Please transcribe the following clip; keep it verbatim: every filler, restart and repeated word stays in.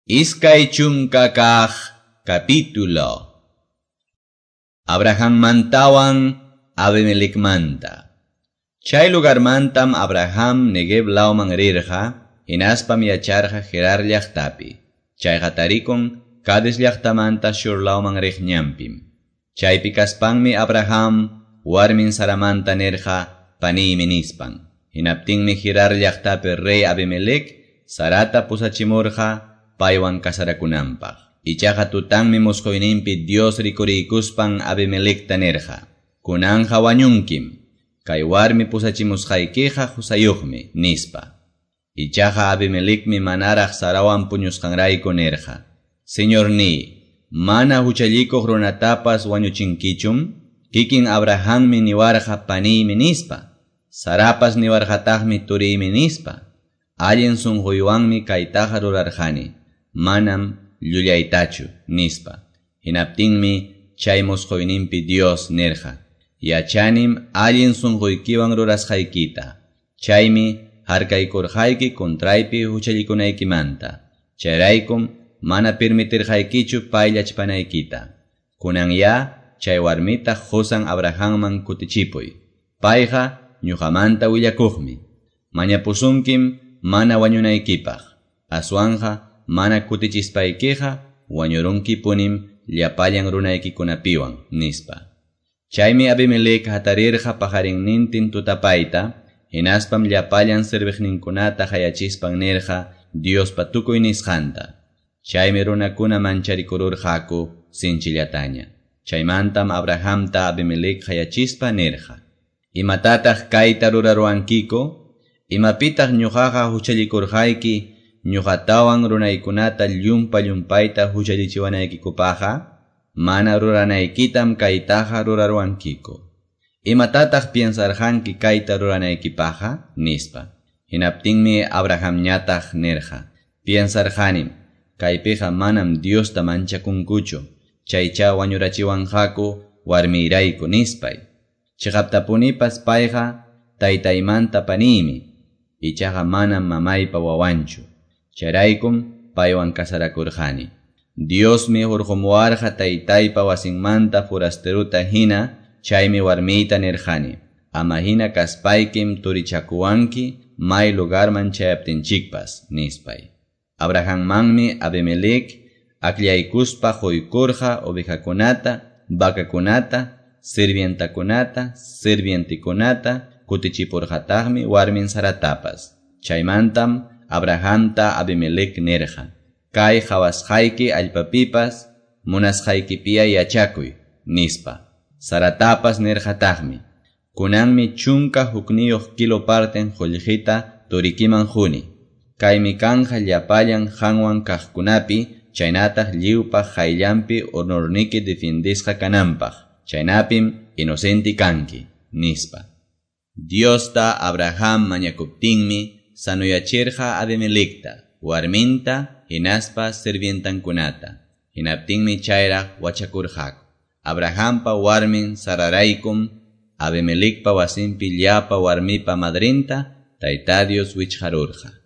Iskay chunka kaq capítulo. Abrahammantawan Abimelecmanta. Chay lugarmantam Abraham Negev lawman rirqa, hinaspam yacharqa Gerar llaqtapi. Chayqa tarikun Cades llaqtamanta Shur lawman riq ñanpim. Chaypi kaspanmi Abraham warmin Saramanta nirqa paniymi nispan. Hinaptinmi Gerar llaqtapi rey Abimelec Sarata pusachimurqa paywan kasarakunanpaq. Ichaqa tutanmi musquyninpi Dios rikuriykuspan Abimelecta nirqa: Kunanja wañunkim, kay warmi pusachimusqaykiqa husayuqmi, nispa. Ichaqa Abimelecmi manaraq Sarawan puñusqanrayku nirqa: Señorniy, mana huchallikuq runatapas wañuchinkichum? Kikin Abrahammi niwarqa paniymi nispa. Sarapas niwarqataqmi turiymi nispa. Allin sunquywanmi kaytaqa rurarqani, manam llullaytachu, nispa. Hinaptinmi chay musquyninpi Dios nirqa: Yachanim allin sunquykiwan rurasqaykita. Chaymi harkaykurqayki contraypi huchallikunaykimanta. Chayraykum mana permitirqaykichu payllachpanaykita. Kunanya chay warmita qusan Abrahamman kutichipuy. Payqa ñuqamanta willakuqmi. Mañapusunkim mana wañunaykipaq. Aswanja mana kutichispaykiqa wañurunkipunim llapallan runaykikunapiwan, nispa. Chaymi Abimelec hatarirqa pajarinnintin tutapayta, hinaspam llapallan serviqninkunata hayachispan nirqa Diospa tukuy nisqanta. Chaymi runakuna mancharikururqaku sinchillataña. Chaymantam Abrahamta Abimelec hayachispa nirqa: Imatataq kayta ruraruwankiku? Imapitaq ñuqaqa huchallikurqayki ñuqatawan runaykunata llumpa llumpayta huchallichiwanaykikupaqqa? Mana ruranaykitam kaytaqa ruraruwankiku. Imatataq piensarqanki kayta ruranaykipaqqa? Nispa. Hinaptinmi Abrahamñataq nirqa: Piensarqanim, kaypiqa manam Diosta manchakunkuchu, chaycha wañurachiwanqaku warmiyrayku, nispay. Chiqaptapunipas payqa taytaymanta paniymi, ichaqa manam mamaypa wawanchu. Chayraykum paywan kasarakurqani. Diosmi hurqumuwarqa taytaypa wasinmanta forasteruta hina, chaymi warmiyta nirqani: Ama hina kaspaykim turichakuwanki may lugarman chayaptinchikpas, nispay. Abrahammanmi Abimelec akllaykuspa quykurqa ovejakunata, vacakunata, sirvientakunata, sirvientikunata, kutichipurqataqmi warmin Saratapas. Chaymantam Abrahamta Abimelec nirqa: Kay qhawasqayki allpapipas munasqaykipiya yachakuy, nispa. Saratapas nirqataqmi: Kunanmi chunka hukniyuq kilo parten qullqita turikiman quni. Kaymi kanja llapallan qanwan kaqkunapi, chaynataq lliwpaq qayllanpi honorniki defendisqa kananpaq. Chaynapim inocente kanki, nispa. Diosta Abraham mañakuptinmi sanuyachirqa Abimelecta, warminta, hinaspa sirvientankunata. Hinaptinmi chayraq wachakurqaku. Abrahampa warmin Sararaykum Abimelecpa wasinpi llapa warmipa madrinta Tayta Dios wichqarurqa.